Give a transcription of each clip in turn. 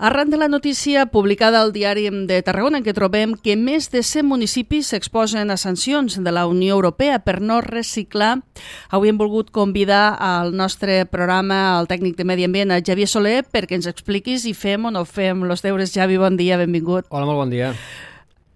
Arran de la notícia publicada al Diari de Tarragona, en què trobem que més de 100 municipis s'exposen a sancions de la Unió Europea per no reciclar, avui hem volgut convidar al nostre programa el tècnic de Medi Ambient, Javier Soler, perquè ens expliquis si fem o no fem els deures. Javi, bon dia, benvingut. Hola, molt bon dia.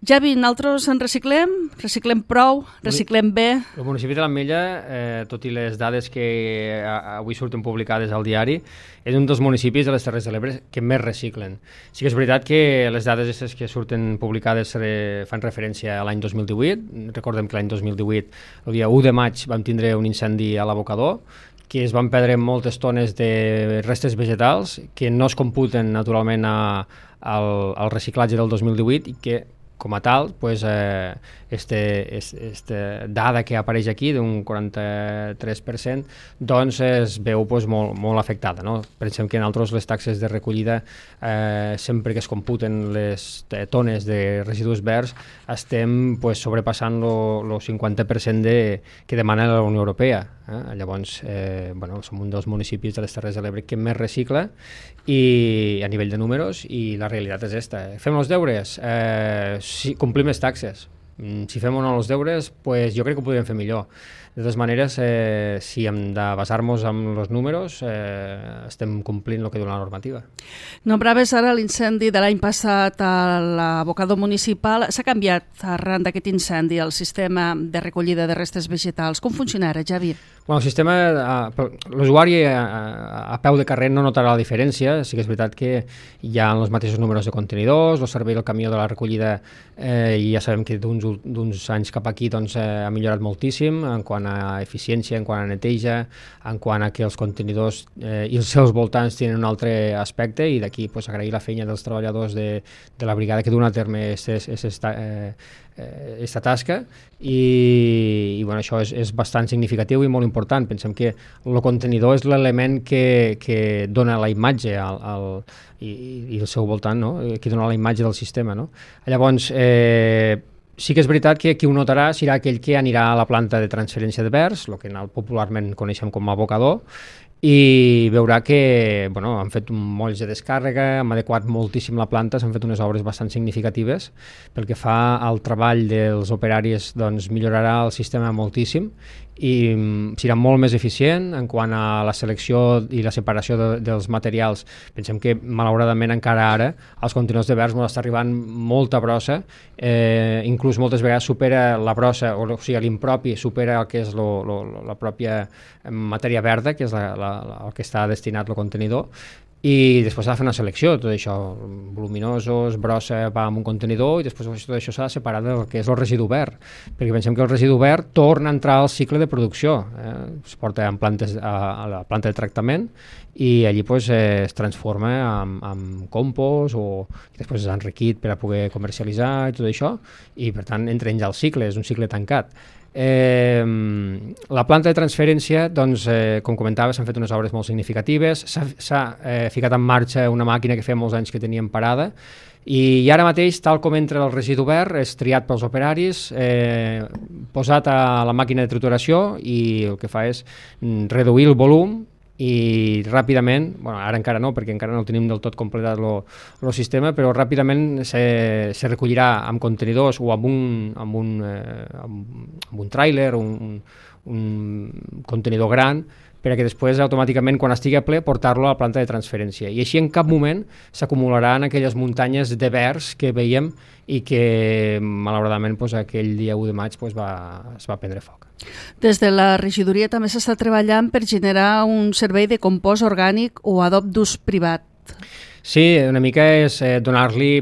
Javi, nosaltres en reciclem prou, reciclem bé. El municipi de l'Ametlla, tot i les dades que avui surten publicades al diari, és un dels municipis de les Terres de l'Ebre que més reciclen. Sí que és veritat que les dades que surten publicades fan referència a l'any 2018. Recordem que l'any 2018, el dia 1 de maig, vam tindre un incendi a l'abocador, que es van perdre moltes tones de restes vegetals que no es computen naturalment al reciclatge del 2018 i que com a tal, pues, dada que apareix aquí d'un 43%, doncs es veu pues, molt afectada. No? Pensem que en altres les taxes de recollida, sempre que es computen les tones de residus verds, estem pues, sobrepassant el 50% que demana la Unió Europea. Llavors, som un dels municipis de les Terres de l'Ebre que més recicla i a nivell de números, i la realitat és esta. Fem els deures? Si complim les taxes. Si fem o no els deures, pues jo crec que ho podríem fer millor. De totes maneres, si hem de basar-nos en els números, estem complint el que diu la normativa. Nombraves ara l'incendi de l'any passat a l'abocador municipal. S'ha canviat arran d'aquest incendi el sistema de recollida de restes vegetals. Com funciona ara, Javi? Bueno, el sistema, l'usuari a peu de carrer no notarà la diferència. Sí que és veritat que hi ha els mateixos números de contenidors, el servei del camió de la recollida ja sabem que d'uns anys cap aquí doncs, ha millorat moltíssim en quant a eficiència, en quant a neteja, en quant a que els contenidors i els seus voltants tenen un altre aspecte, i d'aquí pues, agrair la feina dels treballadors de la brigada que duen a terme aquesta tasca, i bueno, això és bastant significatiu i molt important. Pensem que el contenidor és l'element que dona la imatge i el seu voltant, no? Que dona la imatge del sistema. No? Llavors, sí que és veritat que qui ho notarà serà aquell que anirà a la planta de transferència de verds, el que popularment coneixem com a abocador, i veurà que han fet molls de descàrrega, han adequat moltíssim la planta, s'han fet unes obres bastant significatives. Pel que fa al treball dels operaris, doncs millorarà el sistema moltíssim i serà molt més eficient en quant a la selecció i la separació dels materials. Pensem que malauradament encara ara els contenidors de verds està arribant molta brossa, inclús moltes vegades supera la brossa, o sigui l'impropi supera el que és la pròpia matèria verda, que és el que està destinat al contenidor, i després s'ha de fer una selecció. Tot això, voluminosos, brossa va en un contenidor, i després tot això s'ha de separar del que és el residu verd, perquè pensem que el residu verd torna a entrar al cicle de producció, es porta a la planta de tractament i allí pues, es transforma en compost, i després és enriquit per a poder comercialitzar i tot això, i per tant entra ja al cicle, és un cicle tancat. La planta de transferència, doncs, com comentava, s'han fet unes obres molt significatives, s'ha ficat en marxa una màquina que feia molts anys que teníem parada, i ara mateix, tal com entra el residu verd, és triat pels operaris, posat a la màquina de trituració, i el que fa és reduir el volum, i ràpidament, ara encara no, perquè encara no tenim del tot completat el sistema, però ràpidament se recollirà amb contenidors o amb un tràiler, un contenidor gran, perquè després automàticament quan estigui a ple portar-lo a la planta de transferència, i així en cap moment s'acumularan aquelles muntanyes de verds que veiem i que malauradament aquell dia 1 de maig es va prendre foc. Des de la regidoria també s'està treballant per generar un servei de compost orgànic o adob d'ús privat. Sí, una mica és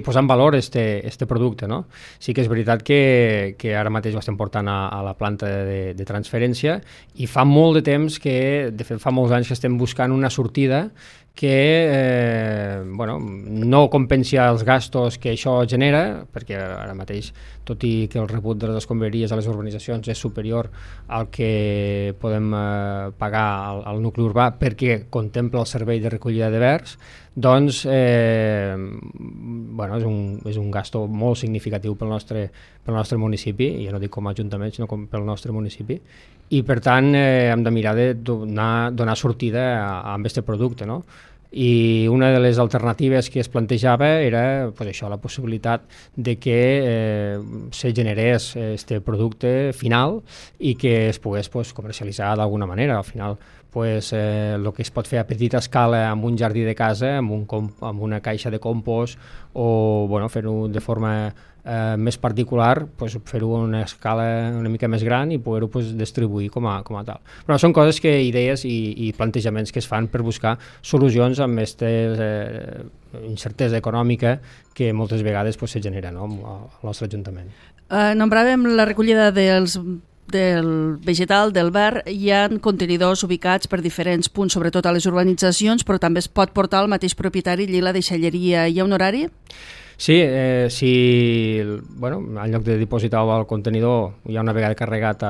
posar en valor este producte, no? Sí que és veritat que ara mateix ho estem portant a la planta de transferència, i fa molt de temps de fet fa molts anys que estem buscant una sortida que no compensi els gastos que això genera, perquè ara mateix, tot i que el rebut de les escombraries a les urbanitzacions és superior al que podem pagar al nucli urbà perquè contempla el servei de recollida de verds, doncs és un gasto molt significatiu pel nostre municipi, i ja no dic com a ajuntament, sinó pel nostre municipi, i per tant hem de mirar de donar sortida amb aquest producte, no? i una de les alternatives que es plantejava era pues, això, la possibilitat de que se generés este producte final i que es pogués pues, comercialitzar d'alguna manera. Al final pues, el que es pot fer a petita escala amb un jardí de casa, amb una caixa de compost o bueno, fer-ho de forma més particular, pues, fer-ho a una escala una mica més gran i poder-ho pues, distribuir com a tal. Però són coses que, idees i plantejaments que es fan per buscar solucions amb aquesta incertesa econòmica que moltes vegades pues, se genera, no?, al nostre Ajuntament. Nombràvem la recollida del vegetal, del verd. Hi ha contenidors ubicats per diferents punts, sobretot a les urbanitzacions, però també es pot portar al mateix propietari i la deixalleria. Hi ha un horari? Sí, bueno, en lloc de dipositar-ho al contenidor, ja una vegada carregat,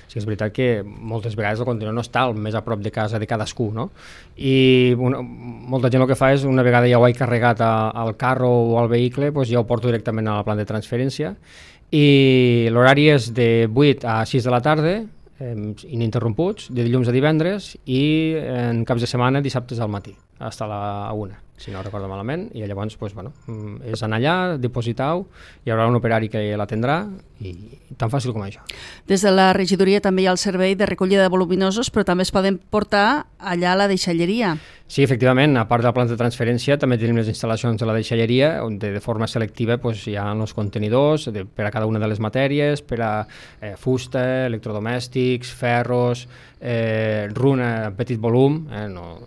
sí que és veritat que moltes vegades el contenidor no està més a prop de casa de cadascú, no? I molta gent el que fa és, una vegada ja ho he carregat al carro o al vehicle, doncs ja ho porto directament a la planta de transferència, i l'horari és de 8 a 6 de la tarda, ininterromputs, de dilluns a divendres, i en caps de setmana dissabtes al matí, fins a la 1, si no recordo malament, i llavors pues, bueno, és anar allà, dipositar-ho, hi haurà un operari que l'atendrà, i tan fàcil com això. Des de la regidoria també hi ha el servei de recollida de voluminosos, però també es poden portar allà a la deixalleria. Sí, efectivament, a part de la planta de transferència també tenim les instal·lacions de la deixalleria on de forma selectiva pues, hi ha els contenidors per a cada una de les matèries, per a fusta, electrodomèstics, ferros, runa en petit volum, no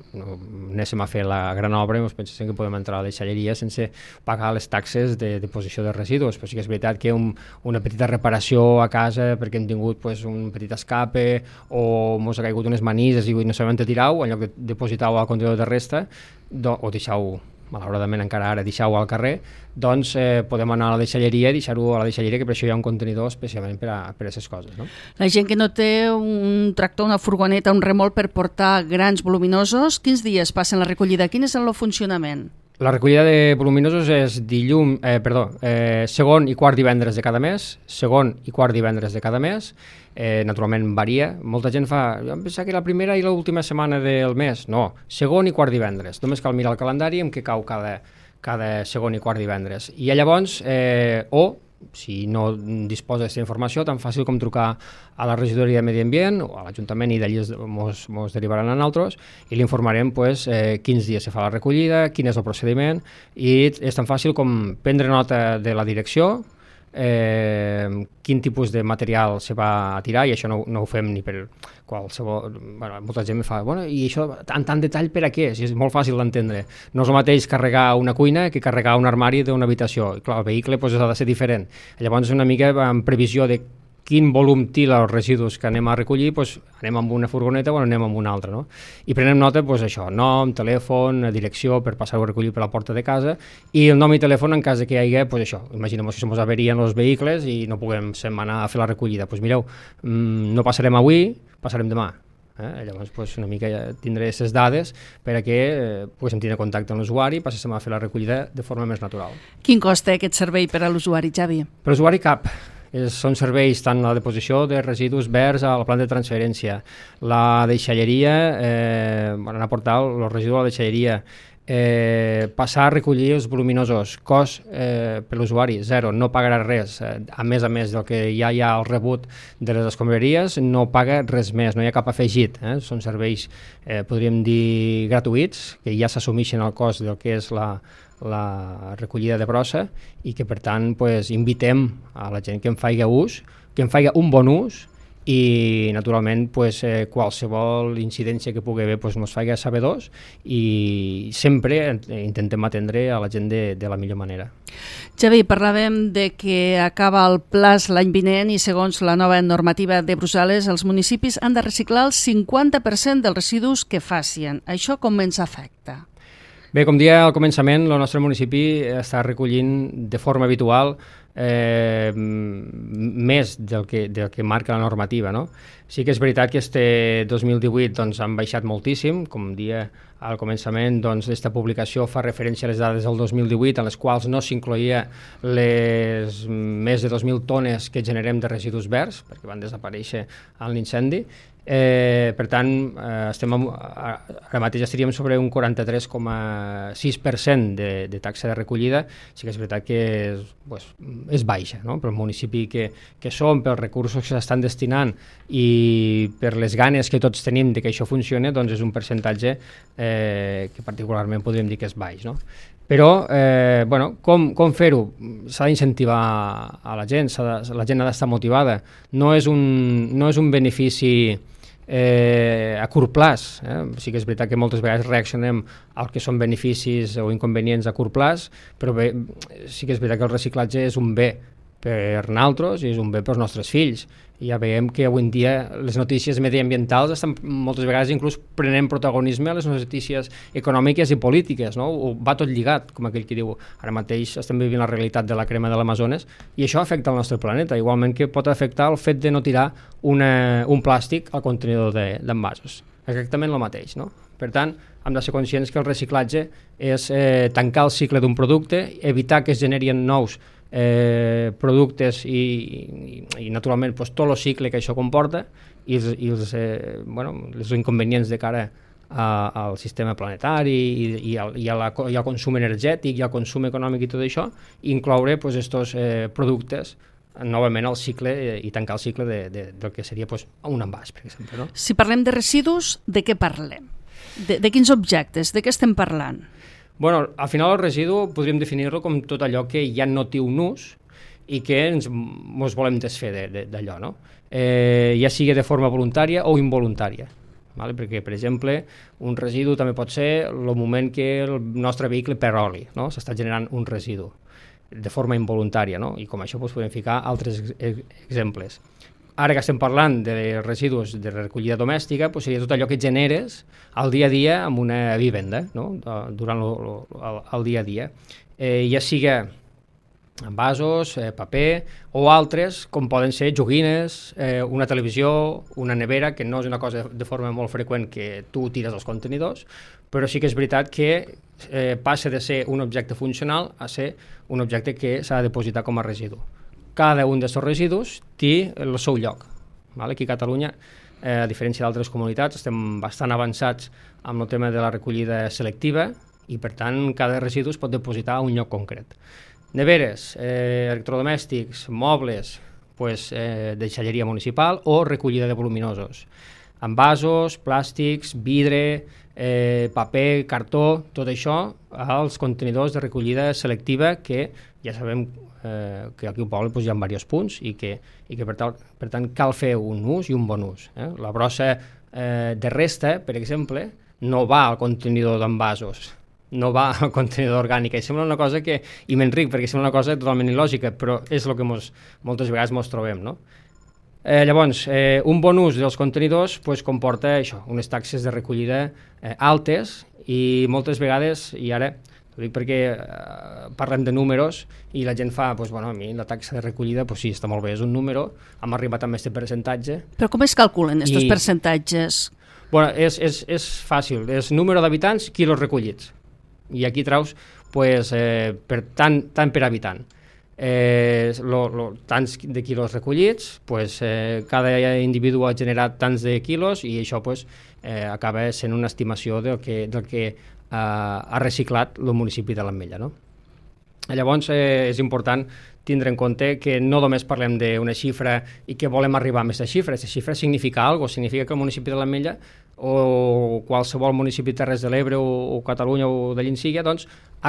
anéssim a fer la gran obra i ens pensem que podem entrar a la deixalleria sense pagar les taxes de deposició de residus, però sí que és veritat que una petita reparació a casa perquè hem tingut pues, un petit escape o ens ha caigut unes manises i no sabem on tirar-ho, en lloc de depositar-ho al contenidor de resta o deixar-ho, malauradament encara ara, deixar-ho al carrer, doncs podem anar a la deixalleria i deixar-ho a la deixalleria, que per això hi ha un contenidor especialment per a aquestes coses. No? La gent que no té un tractor, una furgoneta, un remolc per portar grans voluminosos, quins dies passen la recollida? Quin és el funcionament? La recollida de voluminosos és segon i quart divendres de cada mes, segon i quart divendres de cada mes, naturalment varia, molta gent jo em pensava que la primera i l'última setmana del mes, no, segon i quart divendres, només cal mirar el calendari en què cau cada segon i quart divendres, i llavors, si no disposa d'aquesta informació, tan fàcil com trucar a la regidoria de Medi Ambient o a l'Ajuntament i d'allí ens derivaran a nosaltres i l'informarem quins dies se fa la recollida, quin és el procediment, i és tan fàcil com prendre nota de la direcció, quin tipus de material se va a tirar, i això no ho fem ni per qualsevol... molta gent em fa, i això en tant detall per a què? Si és molt fàcil d'entendre. No és el mateix carregar una cuina que carregar un armari d'una habitació. I clar, el vehicle ha de ser diferent. Llavors, una mica en previsió de quin volum tila els residus que anem a recollir, anem amb una furgoneta o anem amb una altra. No? I prenem nota, això, nom, telèfon, direcció, per passar-ho a recollir per la porta de casa, i el nom i telèfon en cas que hi hagi, això, imaginem que se ens averien els vehicles i no puguem anar a fer la recollida. Mireu, no passarem avui, passarem demà. Llavors una mica ja tindré aquestes dades per a que poguéssim tenir contacte amb l'usuari i passéssim a fer la recollida de forma més natural. Quin cost té aquest servei per a l'usuari, Xavi? Per l'usuari cap. Són serveis tant la deposició de residus verds a la planta de transferència, la deixalleria, anar a portar els residus a la deixalleria, passar a recollir els voluminosos, cost per l'usuari, zero, no pagarà res, a més del que ja hi ha al rebut de les escombraries, no paga res més, no hi ha cap afegit, són serveis, podríem dir, gratuïts, que ja s'assumeixen al cost del que és la recollida de brossa i que per tant invitem a la gent que en faci ús, que en faci un bon ús i naturalment qualsevol incidència que pugui haver ens faci sabedors i sempre intentem atendre a la gent de la millor manera. Xavi, parlàvem de que acaba el plaç l'any vinent i segons la nova normativa de Brussel·les els municipis han de reciclar el 50% dels residus que facin. Això com ens afecta? Bé, com deia al començament, el nostre municipi està recollint de forma habitual més del que marca la normativa. No? Sí que és veritat que este 2018 han baixat moltíssim, com deia al començament, aquesta publicació fa referència a les dades del 2018 en les quals no s'incloïa les més de 2.000 tones que generem de residus verds, perquè van desaparèixer en l'incendi. Per tant, ara mateix estaríem sobre un 43,6% de taxa de recollida. Sí que és veritat que és baixa, no? Per el municipi que som, pels recursos que s'estan destinant i per les ganes que tots tenim de que això funcioni, doncs és un percentatge que particularment podríem dir que és baix, no? Però, com fer-ho? S'ha d'incentivar a la gent, la gent ha d'estar motivada. No és un benefici a curt plaç. Sí que és veritat que moltes vegades reaccionem al que són beneficis o inconvenients a curt plaç, però bé, sí que és veritat que el reciclatge és un bé per nosaltres i és un bé pels nostres fills. I ja veiem que avui en dia les notícies mediambientals estan moltes vegades inclús prenent protagonisme a les notícies econòmiques i polítiques, no? Va tot lligat, com aquell que diu. Ara mateix estem vivint la realitat de la crema de l'Amazones i això afecta el nostre planeta, igualment que pot afectar el fet de no tirar un plàstic al contenidor d'envasos. Exactament el mateix, no? Per tant, hem de ser conscients que el reciclatge és tancar el cicle d'un producte, evitar que es generin nous productes i naturalment tot el cicle que això comporta i els inconvenients de cara al sistema planetari i al consum energètic i al consum econòmic i tot això, incloure aquests productes novament al cicle i tancar el cicle del que seria un envàs, per exemple. No? Si parlem de residus, de què parlem? De quins objectes? De què estem parlant? Bueno, al final el residu podríem definir-lo com tot allò que ja no té un ús i que ens volem desfer d'allò, no? Ja sigui de forma voluntària o involuntària. Vale? Perquè, per exemple, un residu també pot ser el moment que el nostre vehicle perd oli, no? S'està generant un residu de forma involuntària, no? I com això podem ficar altres exemples. Ara que estem parlant de residus de recollida domèstica, seria tot allò que generes al dia a dia amb una vivenda, no? Durant el dia a dia. Ja sigui envasos, paper o altres, com poden ser joguines, una televisió, una nevera, que no és una cosa de forma molt freqüent que tu tires als contenidors, però sí que és veritat que passa de ser un objecte funcional a ser un objecte que s'ha de depositar com a residu. Cada un d'aquests residus té el seu lloc. Aquí a Catalunya, a diferència d'altres comunitats, estem bastant avançats amb el tema de la recollida selectiva i, per tant, cada residu es pot depositar a un lloc concret. Neveres, electrodomèstics, mobles, deixalleria municipal o recollida de voluminosos. Envasos, plàstics, vidre, paper, cartó, tot això als contenidors de recollida selectiva que ja sabem que aquí al poble hi ha diversos punts i que per tant cal fer un ús i un bon ús. La brossa de resta, per exemple, no va al contenidor d'envasos, no va al contenidor orgànic, i sembla una cosa que, i m'enric perquè sembla una cosa totalment il·lògica, però és el que moltes vegades ens trobem, no? Llavors, un bon ús dels contenidors comporta això, unes taxes de recollida altes i moltes vegades, i ara ho dic perquè parlem de números i la gent fa, a mi la taxa de recollida sí, està molt bé, és un número, hem arribat amb aquest percentatge. Però com es calculen aquests percentatges? És fàcil, és número d'habitants, quilos recollits, i aquí traus tant per habitant. Tants de quilos recollits, cada individu ha generat tants de quilos i això acaba sent una estimació del que ha reciclat el municipi de l'Ametlla, no? Llavors és important tindre en compte que no només parlem d'una xifra i que volem arribar a aquesta xifra. Aquesta xifra significa alguna cosa, significa que el municipi de l'Ametlla o qualsevol municipi de Terres de l'Ebre o Catalunya o de Llinsíguia ha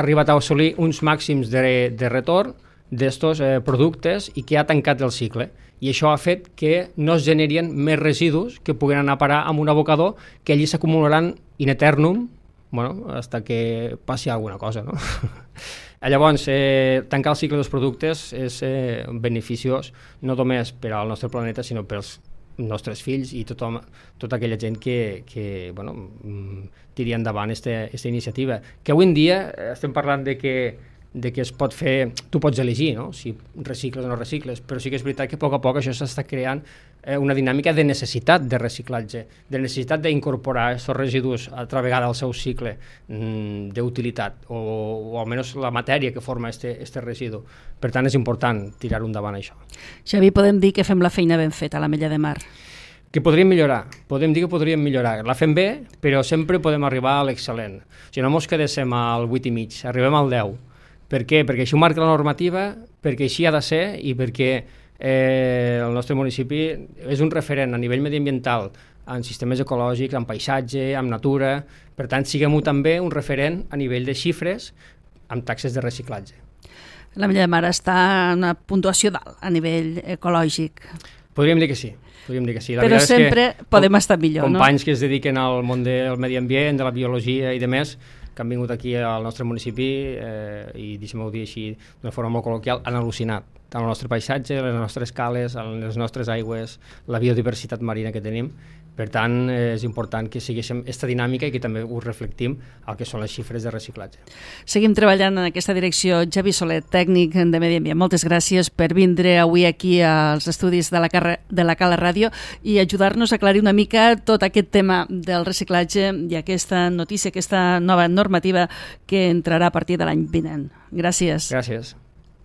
arribat a assolir uns màxims de retorn d'estos productes i que ha tancat el cicle. I això ha fet que no es generin més residus que puguen anar a parar amb un abocador que allí s'acumularan in eternum, hasta que passi alguna cosa, no? Llavors, tancar el cicle dels productes és beneficiós no només per al nostre planeta, sinó pels nostres fills i tota aquella gent que tiri endavant aquesta iniciativa. Que avui en dia estem parlant de que es pot fer, tu pots elegir, no? Si recicles o no recicles, però sí que és veritat que a poc això s'està creant una dinàmica de necessitat de reciclatge, de necessitat d'incorporar aquests residus a altra vegada al seu cicle d'utilitat, o almenys la matèria que forma este residu. Per tant, és important tirar endavant això. Xavi, podem dir que fem la feina ben feta a l'Ametlla de Mar? Que podríem millorar, podem dir que podríem millorar. La fem bé, però sempre podem arribar a l'excel·lent. O sigui, no mos quedéssim al 8,5, arribem al 10. Per què? Perquè així ho marca la normativa, perquè així ha de ser i perquè el nostre municipi és un referent a nivell mediambiental en sistemes ecològics, en paisatge, en natura. Per tant, siguem-ho també un referent a nivell de xifres amb taxes de reciclatge. L'Ametlla de Mar està en una puntuació dalt a nivell ecològic. Podríem dir que sí. La però sempre podem estar millor, companys que es dediquen al món del medi ambient, de la biologia i de més, que han vingut aquí al nostre municipi i, deixem-ho dir així, d'una forma molt col·loquial, han al·lucinat. Tant el nostre paisatge, les nostres cales, les nostres aigües, la biodiversitat marina que tenim. Per tant, és important que segueixem aquesta dinàmica i que també ho reflectim al que són les xifres de reciclatge. Seguim treballant en aquesta direcció. Javi Soler, tècnic de Medi Ambient, moltes gràcies per vindre avui aquí als estudis de la Cala Ràdio i ajudar-nos a aclarir una mica tot aquest tema del reciclatge i aquesta notícia, aquesta nova normativa que entrarà a partir de l'any vinent. Gràcies. Gràcies.